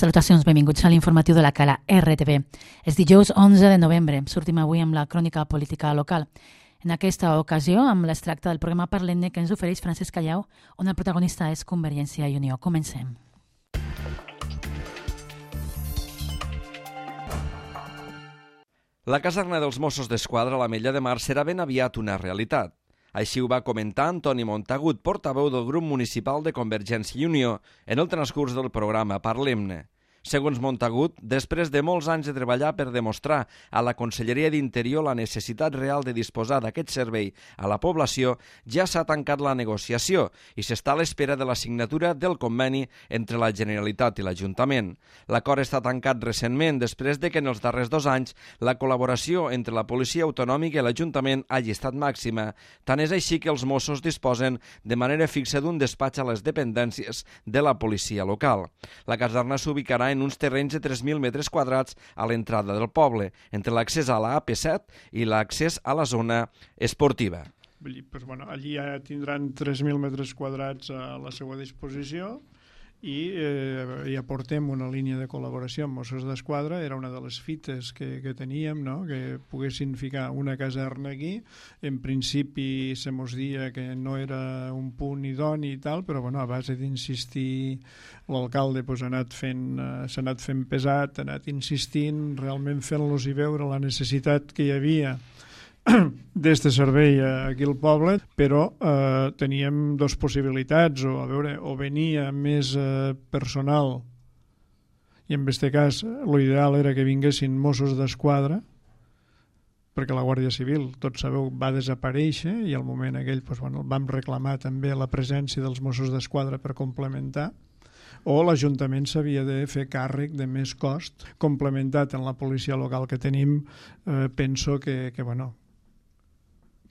Salutacions, benvinguts a l'informatiu de la Cala RTV. És dijous 11 de novembre. Sortim avui amb la crònica política local. En aquesta ocasió, amb l'extracte del programa Parlem-ne que ens ofereix Francesc Callau, on el protagonista és Convergència i Unió. Comencem. La caserna dels Mossos d'Esquadra a l'Ametlla de Mar serà ben aviat una realitat. Així ho va comentar Antoni Montagut, portaveu del grup municipal de Convergència i Unió, en el transcurs del programa Parlem-ne. Segons Montagut, després de molts anys de treballar per demostrar a la Conselleria d'Interior la necessitat real de disposar d'aquest servei a la població, ja s'ha tancat la negociació i s'està a l'espera de la signatura del conveni entre la Generalitat i l'Ajuntament. L'acord està tancat recentment després de que en els darrers 2 anys la col·laboració entre la Policia Autonòmica i l'Ajuntament hagi estat màxima. Tant és així que els Mossos disposen de manera fixa d'un despatx a les dependències de la policia local. La caserna s'ubicarà en uns terrenys de 3.000 metres quadrats a l'entrada del poble, entre l'accés a la AP7 i l'accés a la zona esportiva. Allí ja tindran 3.000 metres quadrats a la seva disposició i ja portem una línia de col·laboració amb Mossos d'Esquadra. Era una de les fites que teníem, no? Que poguessin ficar una caserna aquí. En principi se mos dia que no era un punt idoni i tal, però a base d'insistir l'alcalde s'ha anat fent pesat, ha anat insistint, realment fent-los i veure la necessitat que hi havia d'este servei aquí al poble, però teníem 2 possibilitats, o venia més personal, i en aquest cas l'ideal era que vinguessin Mossos d'Esquadra, perquè la Guàrdia Civil, tots sabeu, va desaparèixer i al moment aquell vam reclamar també la presència dels Mossos d'Esquadra per complementar, o l'Ajuntament s'havia de fer càrrec de més cost complementat en la policia local que tenim. Penso que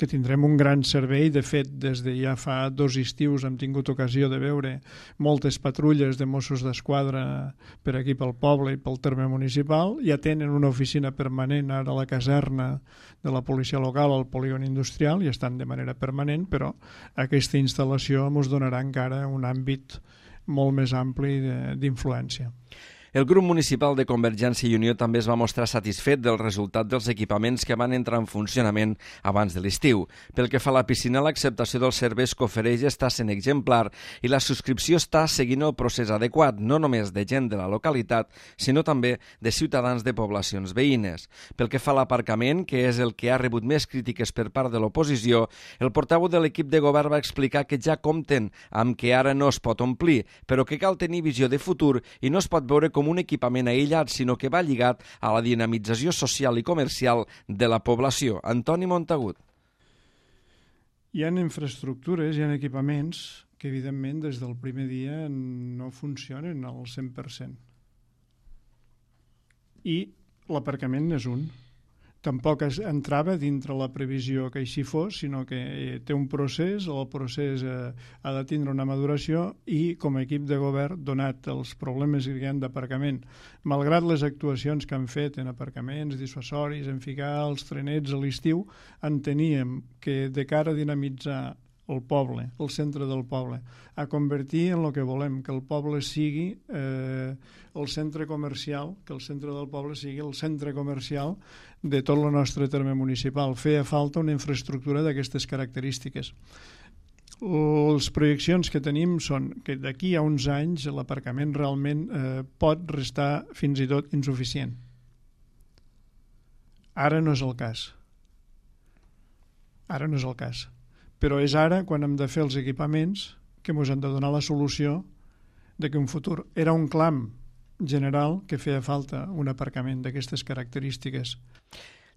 tindrem un gran servei. De fet, des de ja fa 2 estius hem tingut ocasió de veure moltes patrulles de Mossos d'Esquadra per aquí pel poble i pel terme municipal. Ja tenen una oficina permanent ara a la caserna de la policia local al polígon industrial i estan de manera permanent, però aquesta instal·lació ens donarà encara un àmbit molt més ampli d'influència. El grup municipal de Convergència i Unió també es va mostrar satisfet del resultat dels equipaments que van entrar en funcionament abans de l'estiu. Pel que fa a la piscina, l'acceptació dels serveis que ofereix està sent exemplar i la subscripció està seguint el procés adequat, no només de gent de la localitat, sinó també de ciutadans de poblacions veïnes. Pel que fa a l'aparcament, que és el que ha rebut més crítiques per part de l'oposició, el portaveu de l'equip de govern va explicar que ja compten amb que ara no es pot omplir, però que cal tenir visió de futur i no es pot veure com un equipament aïllat, sinó que va lligat a la dinamització social i comercial de la població. Antoni Montagut. Hi ha infraestructures, hi ha equipaments que evidentment des del primer dia no funcionen al 100%. I l'aparcament n'és un. Tampoc entrava dintre la previsió que així fos, sinó que té un procés, el procés ha de tindre una maduració i com a equip de govern, donat els problemes que hi ha d'aparcament, malgrat les actuacions que han fet en aparcaments dissuasoris, en ficar els trenets a l'estiu, enteníem que de cara a dinamitzar el poble, el centre del poble, a convertir en el que volem, que el poble sigui el centre comercial, que el centre del poble sigui el centre comercial de tot el nostre terme municipal. Feia falta una infraestructura d'aquestes característiques. Les projeccions que tenim són que d'aquí a uns anys l'aparcament realment pot restar fins i tot insuficient. Ara no és el cas. Però és ara quan hem de fer els equipaments que ens han de donar la solució de que un futur era un clam general que feia falta un aparcament d'aquestes característiques.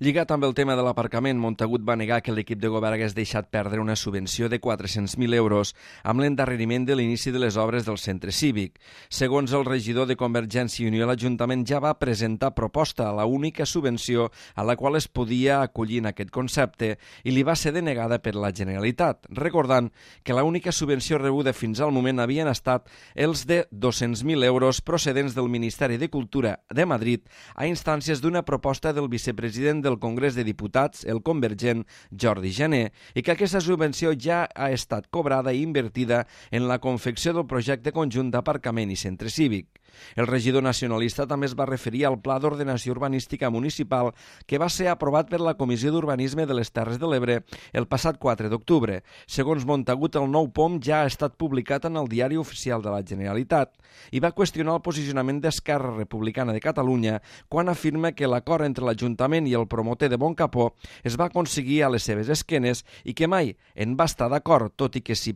Lligat amb el tema de l'aparcament, Montagut va negar que l'equip de govern hagués deixat perdre una subvenció de 400.000 euros amb l'endarreriment de l'inici de les obres del centre cívic. Segons el regidor de Convergència i Unió, l'Ajuntament ja va presentar proposta a la única subvenció a la qual es podia acollir en aquest concepte i li va ser denegada per la Generalitat, recordant que l'única subvenció rebuda fins al moment havien estat els de 200.000 euros procedents del Ministeri de Cultura de Madrid a instàncies d'una proposta del vicepresident del Congrés de Diputats, el convergent Jordi Jané, i que aquesta subvenció ja ha estat cobrada i invertida en la confecció del projecte conjunt d'aparcament i centre cívic. El regidor nacionalista també es va referir al Pla d'Ordenació Urbanística Municipal que va ser aprovat per la Comissió d'Urbanisme de les Terres de l'Ebre el passat 4 d'octubre. Segons Montagut, el nou POM ja ha estat publicat en el Diari Oficial de la Generalitat i va qüestionar el posicionament d'Esquerra Republicana de Catalunya quan afirma que l'acord entre l'Ajuntament i el promotor de Boncapó es va aconseguir a les seves esquenes i que mai en va estar d'acord, tot i que sí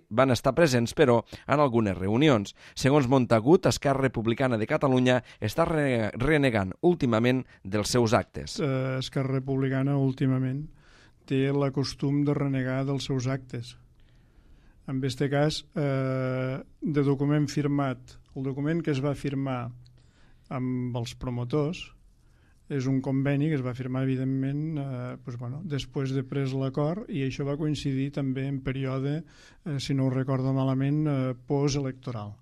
van estar presents, però, en algunes reunions. Segons Montagut, Esquerra Republicana de Catalunya està renegant últimament dels seus actes. Esquerra Republicana últimament té la costum de renegar dels seus actes. En aquest cas, de document firmat, el document que es va firmar amb els promotors és un conveni que es va firmar, evidentment, després de pres l'acord, i això va coincidir també en període, si no ho recordo malament, postelectoral.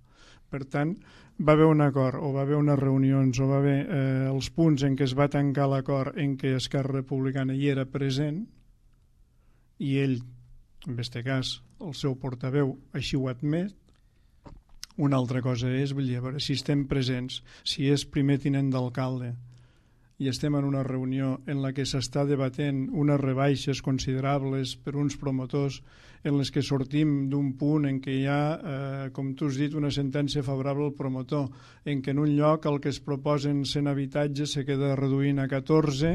Per tant, va haver un acord, o va haver unes reunions, o va haver els punts en què es va tancar l'acord en què Esquerra Republicana hi era present, i ell, en aquest cas, el seu portaveu, així ho ha admet. Una altra cosa és, vull dir, a veure, si estem presents, si és primer tinent d'alcalde, i estem en una reunió en la que s'està debatent unes rebaixes considerables per uns promotors, en les que sortim d'un punt en què hi ha, com tu has dit, una sentència favorable al promotor, en què en un lloc el que es proposen 100 habitatges se queda reduint a 14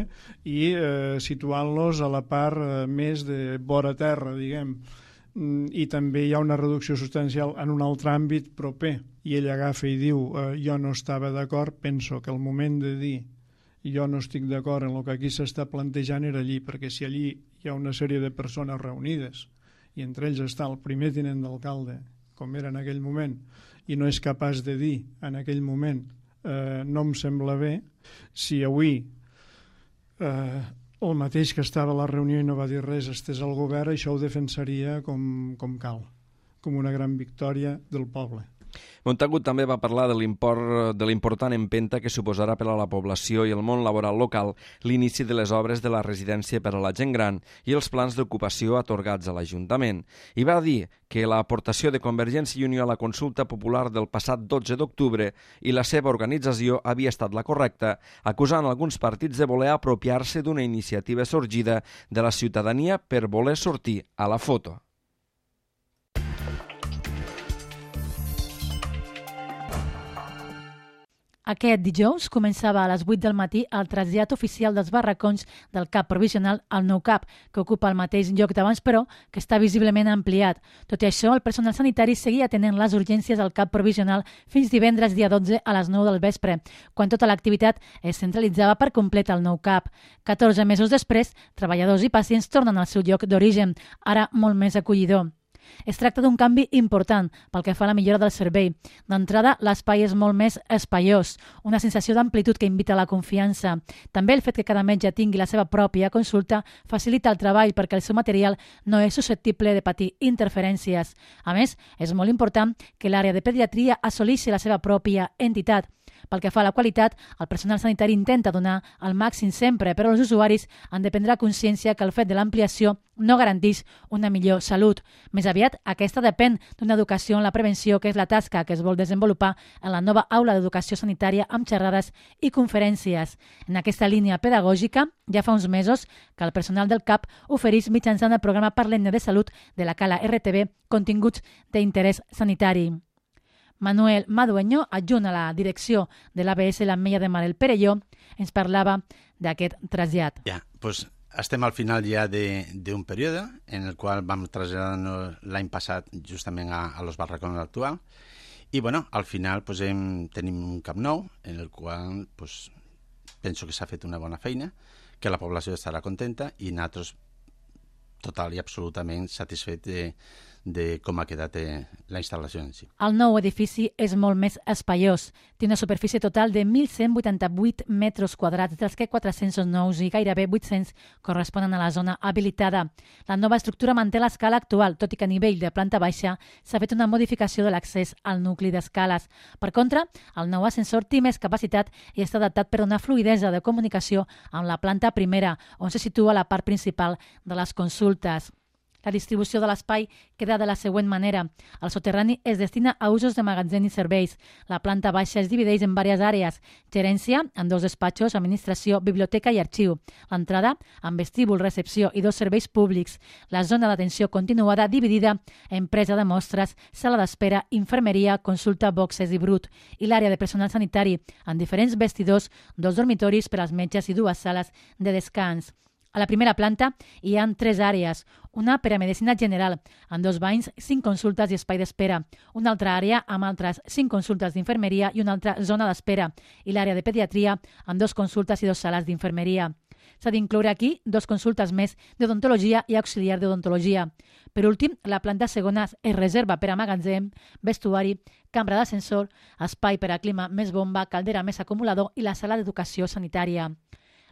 i situant-los a la part més de vora terra, diguem. I també hi ha una reducció substancial en un altre àmbit proper, i ell agafa i diu jo no estava d'acord. Penso que el moment de dir jo no estic d'acord en el que aquí s'està plantejant era allí, perquè si allí hi ha una sèrie de persones reunides i entre ells està el primer tinent d'alcalde, com era en aquell moment, i no és capaç de dir en aquell moment no em sembla bé, si avui el mateix que estava a la reunió i no va dir res estès al govern, això ho defensaria com cal, com una gran victòria del poble. Montagut també va parlar de l'important empenta que suposarà per a la població i el món laboral local l'inici de les obres de la residència per a la gent gran i els plans d'ocupació atorgats a l'Ajuntament. I va dir que l'aportació de Convergència i Unió a la consulta popular del passat 12 d'octubre i la seva organització havia estat la correcta, acusant alguns partits de voler apropiar-se d'una iniciativa sorgida de la ciutadania per voler sortir a la foto. Aquest dijous començava a les 8 del matí el trasllat oficial dels barracons del CAP provisional al nou CAP, que ocupa el mateix lloc d'abans, però que està visiblement ampliat. Tot i això, el personal sanitari seguia atenent les urgències al CAP provisional fins divendres dia 12 a les 9 del vespre, quan tota l'activitat es centralitzava per complet al nou CAP. 14 mesos després, treballadors i pacients tornen al seu lloc d'origen, ara molt més acollidor. Es tracta d'un canvi important pel que fa a la millora del servei. D'entrada, l'espai és molt més espaiós, una sensació d'amplitud que invita a la confiança. També el fet que cada metge tingui la seva pròpia consulta facilita el treball perquè el seu material no és susceptible de patir interferències. A més, és molt important que l'àrea de pediatria assoleixi la seva pròpia entitat. Pel que fa a la qualitat, el personal sanitari intenta donar el màxim sempre, però els usuaris han de prendre consciència que el fet de l'ampliació no garanteix una millor salut. Més aviat, aquesta depèn d'una educació en la prevenció, que és la tasca que es vol desenvolupar en la nova aula d'educació sanitària amb xerrades i conferències. En aquesta línia pedagògica, ja fa uns mesos que el personal del CAP ofereix mitjançant el programa Parlem-ne de Salut de la Cala RTV continguts d'interès sanitari. Manuel Madueño, adjunt a la direcció de l'ABS l'Ametlla de Mar el Perelló, ens parlava d'aquest trasllat. Ja, doncs estem al final ja d'un període en el qual vam traslladar l'any passat justament a los barracons actual i bueno, al final pues, tenim un CAP nou en el qual pues, penso que s'ha fet una bona feina, que la població estarà contenta i nosaltres total i absolutament satisfet de com ha quedat la instal·lació en si. El nou edifici és molt més espaiós. Té una superfície total de 1.188 metres quadrats, dels que 409 i gairebé 800 corresponen a la zona habilitada. La nova estructura manté l'escala actual, tot i que a nivell de planta baixa s'ha fet una modificació de l'accés al nucli d'escales. Per contra, el nou ascensor té més capacitat i està adaptat per una fluïdesa de comunicació amb la planta primera, on se situa la part principal de les consultes. La distribució de l'espai queda de la següent manera. El soterrani es destina a usos de magatzem i serveis. La planta baixa es divideix en diverses àrees. Gerència, amb 2 despatxos, administració, biblioteca i arxiu. L'entrada, amb vestíbul, recepció i 2 serveis públics. La zona d'atenció continuada dividida en presa de mostres, sala d'espera, infermeria, consulta, boxes i brut. I l'àrea de personal sanitari, amb diferents vestidors, 2 dormitoris per als metges i 2 sales de descans. A la primera planta hi ha 3 àrees, una per a medicina general, amb 2 banys, 5 consultes i espai d'espera, una altra àrea amb altres 5 consultes d'infermeria i una altra zona d'espera, i l'àrea de pediatria amb 2 consultes i 2 sales d'infermeria. S'ha d'incloure aquí 2 consultes més d'odontologia i auxiliar d'odontologia. Per últim, la planta segona es reserva per a magatzem, vestuari, cambra d'ascensor, espai per a clima més bomba, caldera més acumulador i la sala d'educació sanitària.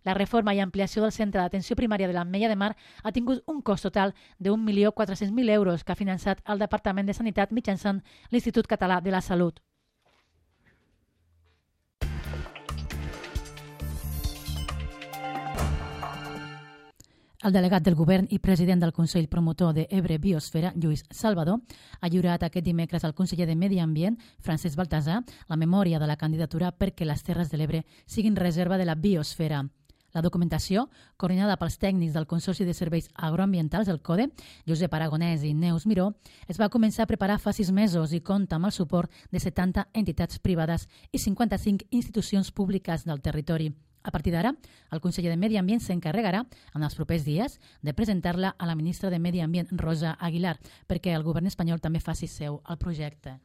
La reforma i ampliació del centre d'atenció primària de l'Ametlla de Mar ha tingut un cost total de 1.400.000 euros que ha finançat el Departament de Sanitat mitjançant l'Institut Català de la Salut. El delegat del govern i president del Consell Promotor de Ebre Biosfera, Lluís Salvador, ha lliurat aquest dimecres al conseller de Medi Ambient, Francesc Baltasar, la memòria de la candidatura perquè les Terres de l'Ebre siguin reserva de la biosfera. La documentació, coordinada pels tècnics del Consorci de Serveis Agroambientals, el CODE, Josep Aragonès i Neus Miró, es va començar a preparar fa 6 mesos i compta amb el suport de 70 entitats privades i 55 institucions públiques del territori. A partir d'ara, el conseller de Medi Ambient s'encarregarà, en els propers dies, de presentar-la a la ministra de Medi Ambient, Rosa Aguilar, perquè el govern espanyol també faci seu el projecte.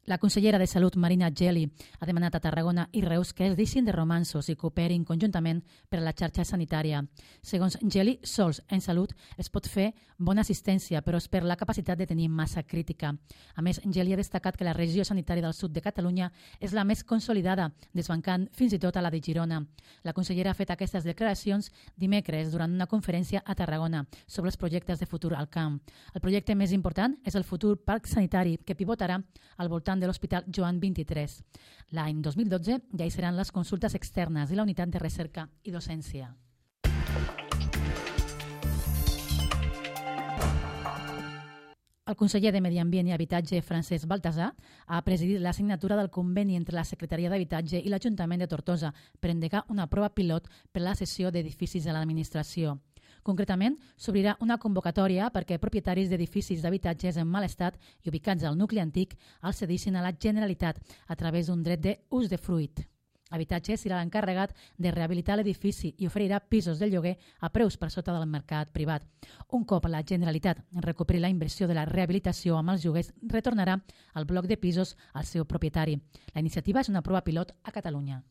La consellera de Salut, Marina Geli, ha demanat a Tarragona i Reus que es deixin de romanços i cooperin conjuntament per a la xarxa sanitària. Segons Geli, sols en salut es pot fer bona assistència, però es perd la capacitat de tenir massa crítica. A més, Geli ha destacat que la regió sanitària del sud de Catalunya és la més consolidada, desbancant fins i tot a la de Girona. La consellera ha fet aquestes declaracions dimecres durant una conferència a Tarragona sobre els projectes de futur al camp. El projecte més important és el futur parc sanitari, que pivotarà al voltant de l'Hospital Joan 23. L'any 2012 ja hi seran les consultes externes i la unitat de recerca i docència. El conseller de Medi Ambient i Habitatge, Francesc Baltasar, ha presidit la signatura del conveni entre la Secretaria d'Habitatge i l'Ajuntament de Tortosa per endegar una prova pilot per a la cessió d'edificis a l'administració. Concretament, s'obrirà una convocatòria perquè propietaris d'edificis d'habitatges en mal estat i ubicats al nucli antic els cedissin a la Generalitat a través d'un dret d'ús de fruit. Habitatge serà l'encarregat de rehabilitar l'edifici i oferirà pisos de lloguer a preus per sota del mercat privat. Un cop la Generalitat recuperi la inversió de la rehabilitació amb els lloguers, retornarà el bloc de pisos al seu propietari. La iniciativa és una prova pilot a Catalunya.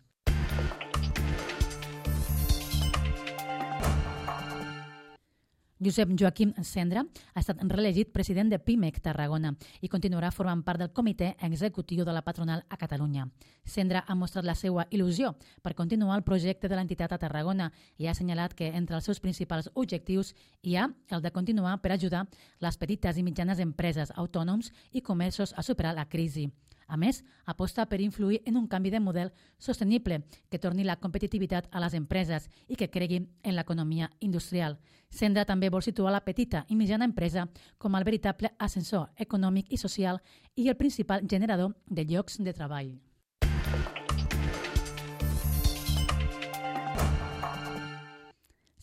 Josep Joaquim Cendra ha estat reelegit president de PIMEC Tarragona i continuarà formant part del comitè executiu de la patronal a Catalunya. Cendra ha mostrat la seva il·lusió per continuar el projecte de l'entitat a Tarragona i ha assenyalat que entre els seus principals objectius hi ha el de continuar per ajudar les petites i mitjanes empreses, autònoms i comerços a superar la crisi. A més, aposta per influir en un canvi de model sostenible que torni la competitivitat a les empreses i que cregui en l'economia industrial. Cendra també vol situar la petita i mitjana empresa com el veritable ascensor econòmic i social i el principal generador de llocs de treball.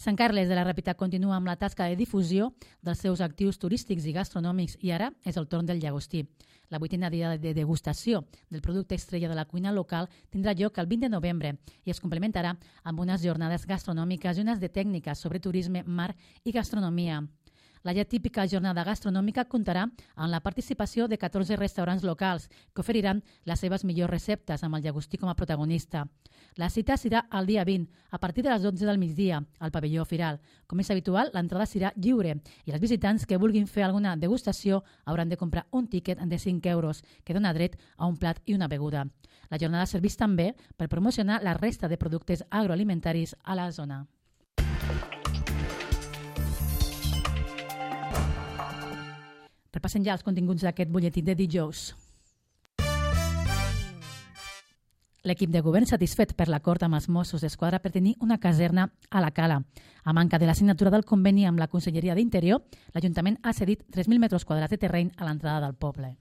Sant Carles de la Ràpita continua amb la tasca de difusió dels seus actius turístics i gastronòmics i ara és el torn del llagostí. La 8a dia de degustació del producte estrella de la cuina local tindrà lloc el 20 de novembre i es complementarà amb unes jornades gastronòmiques i unes de tècniques sobre turisme, mar i gastronomia. La ja típica jornada gastronòmica comptarà amb la participació de 14 restaurants locals que oferiran les seves millors receptes amb el llagostí com a protagonista. La cita serà el dia 20, a partir de les 12 del migdia, al pavelló Firal. Com és habitual, l'entrada serà lliure i els visitants que vulguin fer alguna degustació hauran de comprar un tíquet de 5 euros que dona dret a un plat i una beguda. La jornada serveix també per promocionar la resta de productes agroalimentaris a la zona. Repassem ja els continguts d'aquest butlletí de dijous. L'equip de govern satisfet per l'acord amb els Mossos d'Esquadra per tenir una caserna a la Cala. A manca de la signatura del conveni amb la Conselleria d'Interior, l'Ajuntament ha cedit 3.000 metres quadrats de terreny a l'entrada del poble.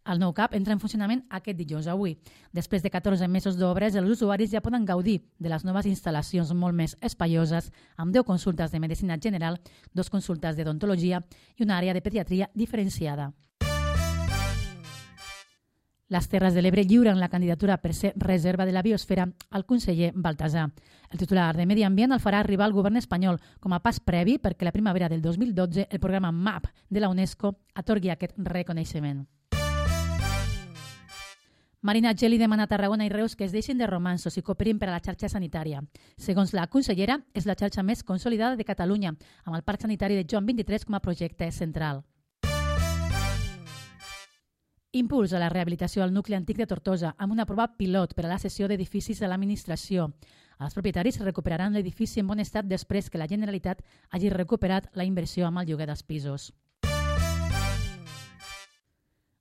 El nou CAP entra en funcionament aquest dijous avui. Després de 14 mesos d'obres, els usuaris ja poden gaudir de les noves instal·lacions molt més espaioses, amb 10 consultes de medicina general, 2 consultes d'odontologia i una àrea de pediatria diferenciada. Les Terres de l'Ebre lliuren la candidatura per ser reserva de la biosfera al conseller Baltasar. El titular de Medi Ambient el farà arribar al govern espanyol com a pas previ perquè la primavera del 2012 el programa MAP de la UNESCO atorgui aquest reconeixement. Marina Geli demana a Tarragona i Reus que es deixin de romanços i cooperin per a la xarxa sanitària. Segons la consellera, és la xarxa més consolidada de Catalunya, amb el Parc Sanitari de Joan 23 com a projecte central. Impuls a la rehabilitació al nucli antic de Tortosa amb una prova pilot per a la cessió d'edificis de l'administració. Els propietaris recuperaran l'edifici en bon estat després que la Generalitat hagi recuperat la inversió amb el lloguer dels pisos.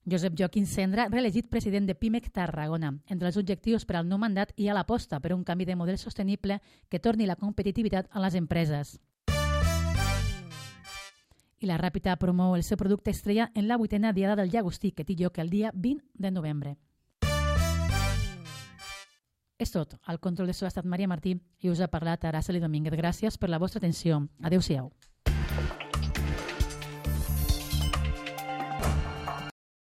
Josep Joaquín Cendra, reelegit president de Pimec Tarragona. Entre els objectius per al nou mandat hi ha l'aposta per un canvi de model sostenible que torni la competitivitat a les empreses. I la Ràpita promou el seu producte estrella en la 8a Diada del Llagostí, que té lloc el dia 20 de novembre. És tot. Al control de so ha estat Maria Martí i us ha parlat Araceli Domínguez. Gràcies per la vostra atenció. Adéu-siau.